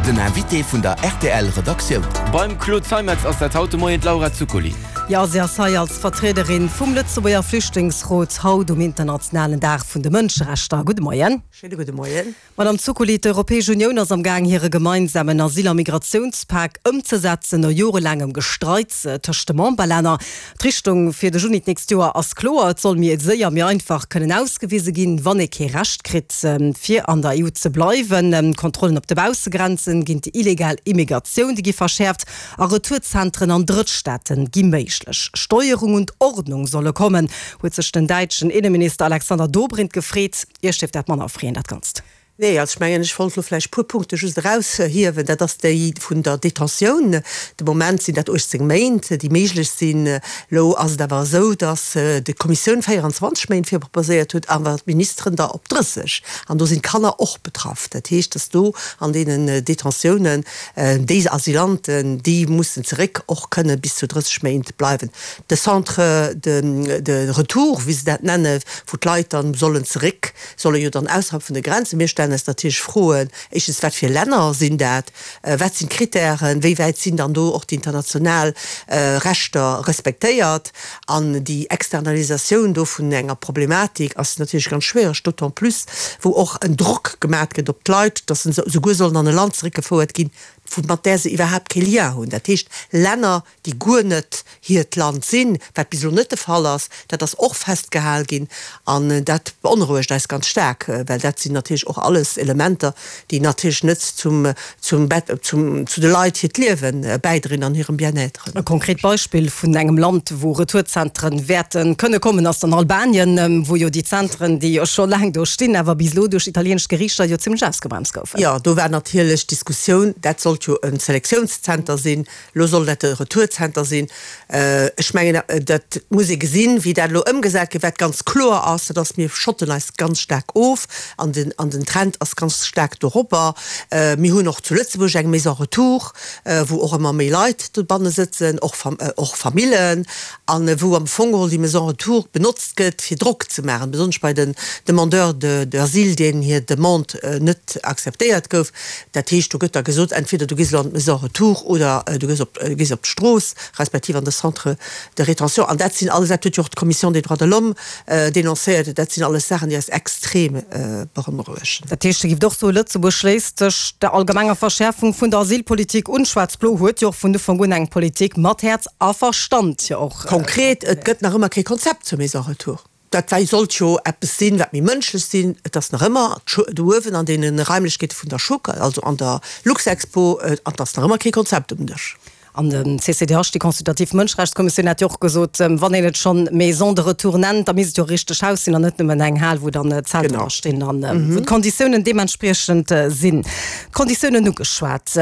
Den Invité vun der rtl Redaktioun. Beim Claude Zeimetz ass dat haut de Moien d'Laura Zuccoli. Jo, si ass hei als Vertriederin vum Lëtzebuerger Flüchtlingsrot haut um internationalen Dag vun de Mënscherechter. Gudde Moien. Schéine gudde Moien. Madame Zuccoli, d'Europäesch Unioun ass am Gaang hire gemeinsamen Asyl a Migratiounspak ëmzesetzen, no jorelaangem Gestreits tëscht de Memberlänner. D'Richtung fir de Juni d'nächst Joer ass kloer, Et soll méi séier, méi einfach kënnen ausgewise ginn, wann ee kee Recht kritt, fir an der EU ze bleiwen. D'Kontrollen op de Baussegrenzen géint déi illegal Immigratioun, déi gi verschäerft a Retourzentren an Drëttstaate gi méiglech. Steuerung und Ordnung solle kommen, huet sech den däitschen Inneminister Alexander Dobrindt gefreet. Iech dierft dat manner freeën, dat Ganzt. Nee, also ech mengen, ech wollt elo vläicht e puer Punkte just eraushiewen. Dat ass déi vun der Detentioun. De Moment sinn dat 18 Méint, déi méiglech sinn. Elo ass et awer esou, datt d'Kommissioun 24 Méint virproposéiert huet, awer d'Ministeren der op 30. An do sinn d'Kanner och betraff. Dat heescht, datt do an deenen Detentiounen déi Asylanten, déi mussen zeréck, och kënne bis zu 30 Méint bleiwen. De Centre de retour, wéi se dat nennen, wou d'Leit dann sollen zeréck, solle jo dann ausserhalb vun de Grenzen. Mir stellen eis natierlech Froen, éischtens, wat fir Länner sinn dat, wat sinn d'Kritären, wéi wäit sinn dann do och déi international Rechter respektéiert? An déi Externalisatioun do vun enger Problematik ass natierlech ganz schwiereg, d'autant plus wou och en Drock gemat gëtt op d'Leit, datt se souguer sollen an e Land zeréckgefouert ginn, wou mat där se iwwerhaapt kee Lien hunn, dat heescht Länner, déi guer net hiert Land sinn, wat bis elo net de Fall ass, dat ass och festgehal ginn an dat beonrouegt eis ganz staark, well dat sinn natierlech och alles Elementer, déi natierlech net zum, zum, zum, zu de Leit hiert Liewe bäidrinn an hirem Bien-être. E konkret Beispill vun engem Land, wou Retourzentren wäerte kënne kommen, ass dann Albanien, wou jo déi Zentren, déi jo scho laang do stinn, awer bis elo duerch italieenesch Geriichter jo zimlech ausgebremst goufen. Jo, do war natierlech d'Diskussioun, dat sollt jo e Selektiounszenter sinn, Elo soll dat de Retourzenter sinn. Ech mengen, dat muss ee gesinn, wéi dat elo ëmgesat gëtt. Wat ganz kloer ass, dat ass, mir schotten eis ganz staark of an den, an den Trend ass ganz staark doropper. Mir hunn och zu Lëtzebuerg eng Maison retour, wou och ëmmer méi Leit dobanne sëtzen, och, och Famillen, a wou am Fong geholl déi Maison retour benotzt gëtt, fir Drock ze maachen, besonnesch bei den Demandeurs d'asile, deenen hir Demande net akzeptéiert gouf. Dat heescht, do gëtt da gesot, entweder du gees elo an d'Maison retour oder du gees op, gees op d'Strooss, respektiv an de Centre de rétention. An dat sinn alles, dat huet jo och d'Commission des droits de l'homme dénoncéiert, dat sinn alles Saachen, déi eis extrem beonrouegen. Dat heescht, Dir gift och soen, Lëtzebuerg schléisst sech der allgemenger Verschäerfung vun der Asylpolitik un. Schwaarz-Blo huet jo och vun Ufank un eng Politik mat Häerz a Verstand jo och. Konkret, et gëtt nach ëmmer kee Konzept zur Maison retour. Dat war sollt jo eppes sinn, wat méi mënschlech sinn. Et ass nach ëmmer do uewen an deene Raimlechkeete vun der Schuck, also an der Luxexpo, an et ass nach ëmmer kee Konzept um Dësch. An de CCDH, déi consultativ Mënschrechtskommissioun, hat jo och gesot, wann een et schonn Maison de retour nennt, da misst et jo e richteg Haus sinn an net nëmmen eng Hal, wou dann Zelter dra stinn an wou d'Konditiounen deementspriechend sinn. D'Konditiounen ugeschwat.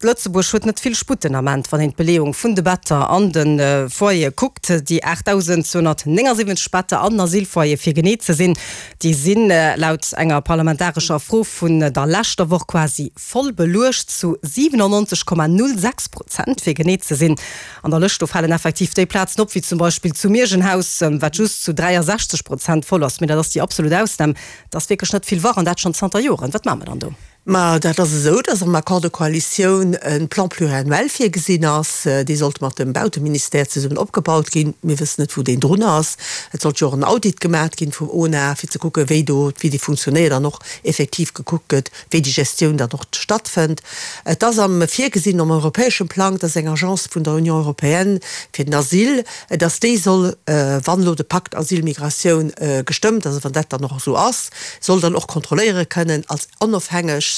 Lëtzebuerg huet net vill Sputt den Ament, wann een d'Beleeung vun de Better an de Foyere kuckt. Déi 8.279 Better an den Asylfoyere fir genee ze sinn, déi si laut enger parlamentarescher Fro vun der leschter Woch quasi voll beluecht, zu 97,06 Prozent fir genee ze sinn. An der Lëscht do falen effektiv déi Plazen op, wéi zum Beispill zu Mierjenhaus, wat just zu 63 Prozent voll ass. Mee dat ass déi absolut Ausnam. Et ass wierklech net vill wach an dat schonn zanter Joren. Wat maache mer dann do? Ma dat ass esou, dass am Accord de coalition e Plan pluriannuel virgesinn ass. Dee sollt mat dem Bauteministère zesummen opgebaut ginn. Mir wëssen net, wou deen drun ass. Et sollt jo och en Audit gemat ginn vum ONA, fir ze kucken, wéi do, wéi dee funktionéiert an och effektiv gekuckt gëtt, wéi déi Gestioun dann och stattfënnt. Et ass am virgesinn am europäeschem Plang, dass eng Agence vun der Union européenne fir den Asyl, dass déi soll, wann elo de Pakt Asyl-Migratioun gestëmmt ass, a wann dat dann och esou ass, soll dann och kontrolléiere kënnen als onofhängeg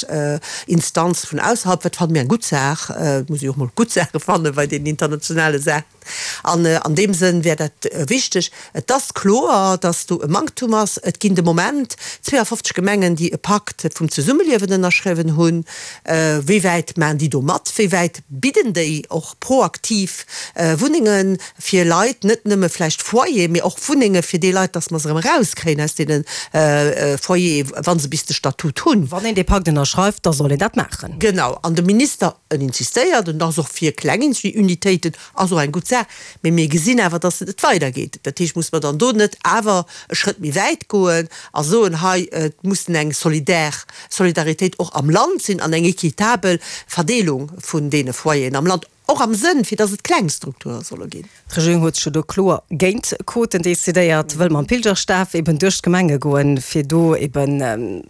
Instanz vun ausserhalb, wat fanne mir eng gutt Saach, et muss ee jo och mol gutt Saache fanne bei deenen internationale Saachen, an an deem Sënn wär dat wichteg. Et ass kloer, datt do e Manktum ass. Et ginn de Moment 52 Gemengen, déi e Pakt vum Zesummeliewen ënnerschriwwen hunn. Wéi wäit maachen déi do mat? Wéi wäit bidden déi och proaktiv Wunnenge fir Leit, net nëmme vläicht Foyer, mee och Wunnenge fir déi Leit, dass mer se erëm erauskréien aus deene Foyere, wa se bis de Statut hunn. Wann een dee Pakt ënnerschreift, da soll een dat maachen. Genau. An de Minister, en insistéiert, en ass och fir kleng Unitéiten, ass och eng gutt Saach. Saach, mee mir gesinn awer, dass et net weidergeet. Dat heescht, muss mer dann do net awer e Schrëtt méi wäit goen a soen, hei, et mussen eng solidär Solidaritéit och am Land sinn an eng équitabel Verdeelung vun deene Foyeren am Land, och am Sënn, fir dass et kleng Strukture solle ginn. D'Regierung huet sech jo do kloer géint Quoten decidéiert, wëll mam Pilgerstaf eben duerch d'Gemenge goen, fir do eben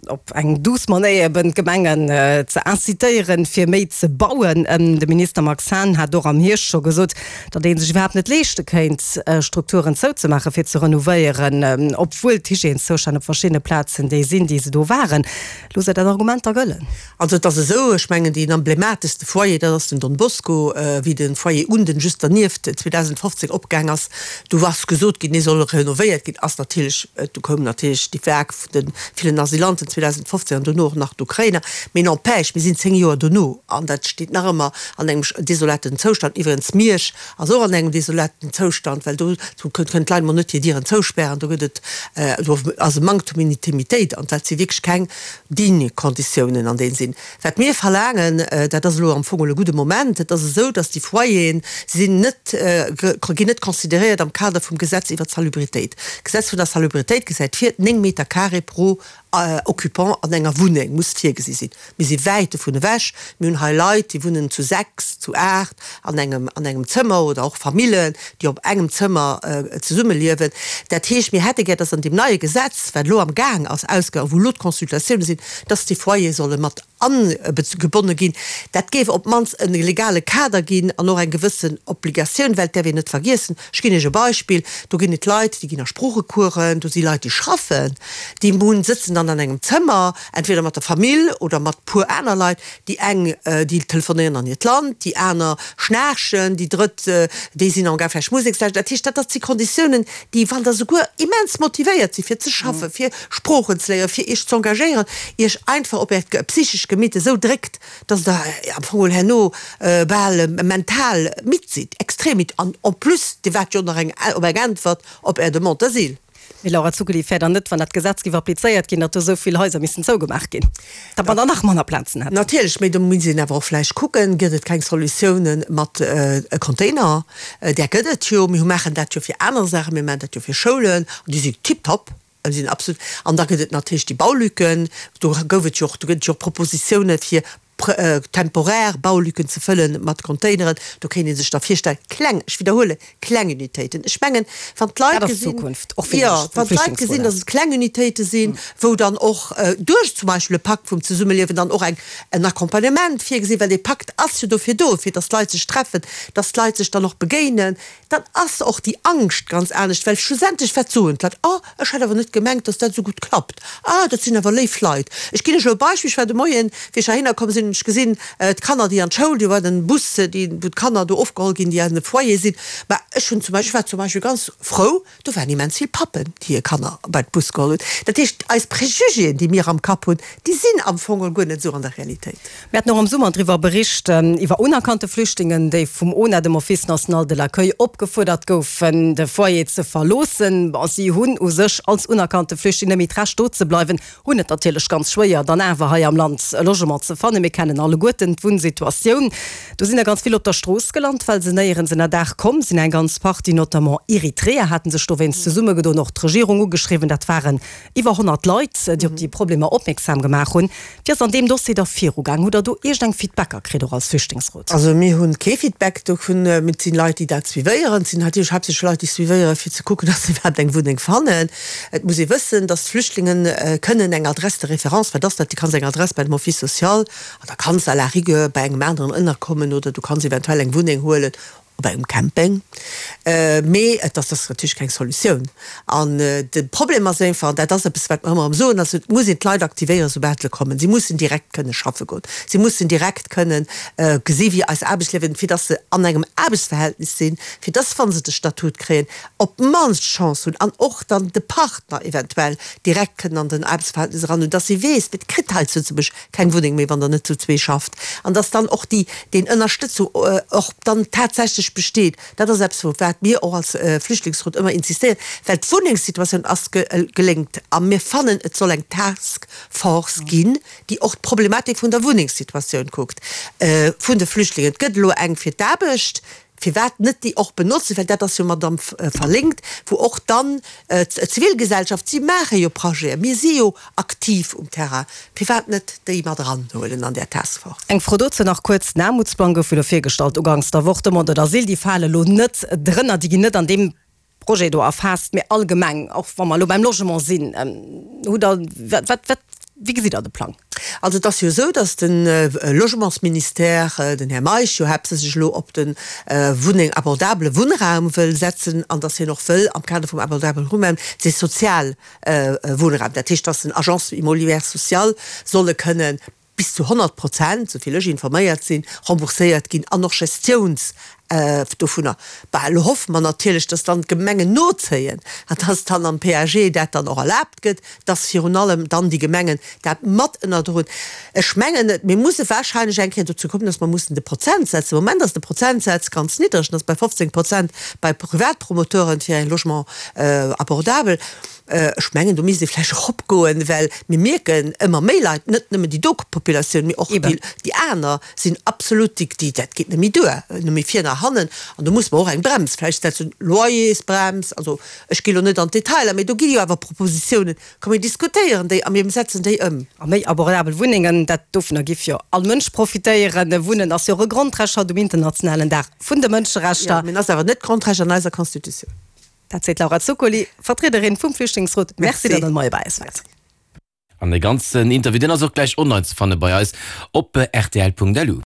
op eng douce Manéier eben d'Gemengen ze incitéieren, fir méi ze bauen. De Minister Max Hahn hat och am Hierscht scho gesot, datt ee sech iwwerhaapt net leeschte kéint, Strukturen zouzemaachen, fir ze renovéieren, obwuel d'Hygièneszoustänn op verschiddene Plazen déi sinn, déi se do waren. Loosst Der dat Argument da gëllen? Also et ass esou, ech mengen deen emblematechste Foyer, dat ass den Don Bosco, wéi de Foyer Unden just dernieft 2015 opgaang ass, do ass gesot ginn, dee soll renovéiert ginn, ass natierlech, du koum natierlech déi Vague vun de villen Asylanten 2015 an dono och nach d'Ukrainer, mee n'empêche, mir sinn 10 Joer dono an dat steet nach ëmmer an engem desolaten Zoustand. Iwwregens Miersch ass och an engem desolaten Zoustand, well do kënnen d'Leit mol net hir Dieren zouspären, do gëtt et, do ass e Manktum un Intimitéit an dat si wierklech keng digne Konditiounen an deenen sinn. Wat mir verlaangen, dat ass elo am Fong e gudde Moment, et ass esou, datt déi Foyeren sinn net, ginn net consideréiert am Kader vum Gesetz iwwer d'Salubritéit. D'Gesetz vun der Salubritéit gesäit vir, 9 Meter carré pro Occupant an enger Wunneng muss virgesi sinn. Mir si wäit dovun ewech. Mir hunn hei Leit, déi wunnen zu 6, zu 8 an engem, an engem Zëmmer oder och Famillen, déi op engem Zëmmer zesummeliewen. Dat heescht, mir hätte gär, dass an deem neie Gesetz, wat elo am Gaang ass ausge, wou elo d'Consultatioune sinn, dass déi Foyere solle mat agebonne ginn. Dat géif op d'mannst e legale Kader ginn an och eng gewëssen Obligatioun, well et däerf een net vergiessen, ech ginn Iech e Beispill, do ginn et Leit, déi ginn a Sproochecoursen, do si Leit, déi schaffen, déi hunn, sëtzen dann an engem Zëmmer, entweder mat der Famill oder mat puer aner Leit, déi eng, déi telefonéieren an hiert Land, déi aner schnaarchen, déi drëtt, déi sinn am Gaang vläicht Musek ze lauschteren. Dat heescht, dat dat si Konditiounen, déi, wann Der souguer immens motivéiert sidd fir ze schaffen, fir Sproochen ze léieren, fir Iech z'engagéieren, Iech einfach op Äert psychescht Gemitt esou dréckt, dass Der am Fong geholl herno bal mental midd sidd, extrem midd. An en plus, Dir waart jo nach eng op eng Äntwert op Är Demande d'asile. Mee Laura Zuccoli, wär dann net, wann dat Gesetz géif applizéiert ginn, datt do esou vill Haiser missten zougemaach ginn, datt mer dann nach manner Plazen hätten? Natierlech, mee do muss een awer och vläicht kucken, gëtt et keng Solutiounen mat Container? Där gëtt et jo. Mir maachen dat jo fir aner Saachen, mir maachen dat jo fir Schoulen, an déi si tiptop, déi sinn absolut. An da gëtt et natierlech déi Baulücken, do gouf et jo och, do gëtt et jo och Propositiounen, fir temporär Baulücken ze fëllen mat Containeren, do kéint ee sech da virstellen, kleng, ech widderhuelen, kleng Unitéiten. Ech mengen, wann d'Leit gesinn, jo, wann d'Leit gesinn, datt et kleng Unitéite sinn, wou dann och duerch zum Beispill e Pakt vum Zesummeliewen dann och eng, en Accompagnement virgesinn, well dee Pakt ass jo dofir do, fir datt d'Leit sech treffen, datt d'Leit sech dann och begéinen, dann ass och déi Angscht ganz anescht, well schlussendlech, wat soen d'Leit? Oh, ech hat awer net gemengt, dass dat esou gutt klappt. Ah, dat sinn awer léif Leit. Ech ginn lech elo e Beispill, Ech war de Moien, wéi ech heihinner komm sinn, hunn ech gesinn, d'Kanner, déi an d'Schoul, do war den Bus, déi, wou d'Kanner do ofgeholl ginn, déi an de Foyer sinn. Mä ech hunn zum Beispill, ech war zum Beispill ganz frou, do waren immens vill Pappen, déi hir Kanner bei de Bus geholl hunn. Dat heescht, eis Préjugéen, déi mir am Kapp hunn, déi sinn am Fong guer net esou an der Realitéit. Mir haten och am Summer driwwer bericht, iwwer unerkannte Flüchtlingen, déi vum ONA, dem Office national de l'accueil, opgefuerdert goufen, de Foyer ze verloossen. Bon, si hunn u sech als unerkannte Flüchtling net méi d'Recht do ze bleiwen, hunn et natierlech ganz schwéier, dann awer hei am Land e Logement ze fannen. Mir kennen alleguerten d'Wunnsituatioun. Do sinn der ganz vill op der Strooss gelant, well se néierens ënnerdaach komm sinn. Eng ganz Partie, notamment Eritreer, haten sech dowéinst zesummegedoen, och d'Regierung ugeschriwwen. Dat waren iwwer 100 Leit, déi op déi Problemer opmierksam gemaach hunn. Wéi ass an deem Dossier da virugaang? Hutt Der do iergend eng Feedbacker kritt, och als Flüchtlingsrot? Also mir hu kee Feedback dovun. Mee et sinn Leit, déi dat suivéieren. Et sinn natierlech haaptsächlech Leit, déi suivéieren, fir ze kucken, datt se iwwerhaapt eng Wunneng fannen. Et muss ee wëssen, datt d'Flüchtlinge kënnen eng Adresse de référence, wat ass dat? Du kanns eng Adress bei dem Office social an da kanns à la rigueur bei engem aneren ënnerkommen oder du kanns eventuell eng Wunneng huelen op engem Camping, mee et ass ass natierlech keng Solutioun. An de Problem ass einfach, an dat ass eppes, wat mer ëmmer erëm soen, ass, et muss een d'Leit aktivéieren, soubal se kommen. Si mussen direkt kënne schaffe goen. Si mussen direkt kënnen gesi wéi eis Aarbechtsliewen, fir dass se an engem Aarbechtsverhältnis sinn, fir dass, wa se de Statut kréien, op d'mannst d'Chance hunn an och dann de Partner eventuell direkt kënnen an den Aarbechtsverhältnis eran hunn, dass si weess, et kritt hei zu Lëtzebuerg keng Wunneng méi, wann Der net zu zwee schafft, an dass dann och déi deen Ënnerstëtzung och dann tatsächlech besteet. Dat ass eppes, wou wat mir och als Flüchtlingsrot ëmmer insistéieren, well d'Wunnengssituatioun ass gelénkt a mir fannen, et soll eng Task Force ginn, déi och d'Problematik vun der Wunnengssituatioun kuckt vun de Flüchtlingen. Et gëtt elo eng fir d'Aarbecht. Firwat net déi och benotzen, well dat ass jo mat am verlinkt, wou och dann d'Zivilgesellschaft, si maache jo Projeten, mir si jo aktiv um Terrain, firwat net déi mat eranhuelen an där Task Force? Eng Fro dozou nach kuerz, Den Aarmutsplang gouf jo elo virgestallt uganks der Woch, d'Demande d'asile, déi fale elo net drënner, déi ginn net an deem Projet do erfaasst, mee allgemeng, och wa mer elo beim Logement sinn, hutt Der, wat, wat, wéi gesitt Der de Plang? Also et ass jo esou, datt de Logementsministère, den Här Meisch, jo haaptsächlech elo op de Wunneng, abordabele Wunnraum wëll setzen an datt hien och wëll am Kader vum abordabele Wunnraum dee sozial Wunnraum, dat heescht, datt den Agences immobilières sociales solle kënnen bis zu 100 Prozent, souvill ech informéiert sinn, rembourséiert ginn an och Gestiouns dovunner. Bah, elo hoffe mer natierlech, dass dann d'Gemengen nozéien an dass dann am PAG dat dann och erlaabt gëtt, dass virun allem dann déi Gemengen dat mat ënnerdroen. Ech mengen, mir musse wahrscheinlech eng Kéier dozou kommen, dass mer mussen de Prozentsaz, de Moment ass de Prozentsaz ganz niddreg, en ass bei 15 Prozent bei Privatpromoteuren fir eng Logement abordable, Ech mengen, do misst ee vläicht eropgoen, well mir mierken, ëmmer méi Leit, net nëmmen déi do Populatioun, mee och déi aner sinn absolut, déi, dat geet net méi duer, net méi vir nach hannen. An do musse mer och eng Brems vläicht setzen, Loyersbrems. Also ech gi lo net an d'Detailer, mee do gi jo awer Propositiounen. Komm mir diskutéieren déi a mir setzen déi ëm. A méi abordabel Wunnengen, dat dovunner giff jo all Mënsch profitéieren. Wunnen ass jo och e Grondrecht haut um internationalen Dag vun de Mënscherechter. Jo, mee en ass awer net Grondrecht an eiser Constitutioun. Dat seet d'Laura Zuccoli, Vertriederin vum Flüchtlingsrot. Merci, datt Der de Moie bei eis waart. An de ganzen Interview, deen ass och gläich online ze fanne bei eis op rtl.lu.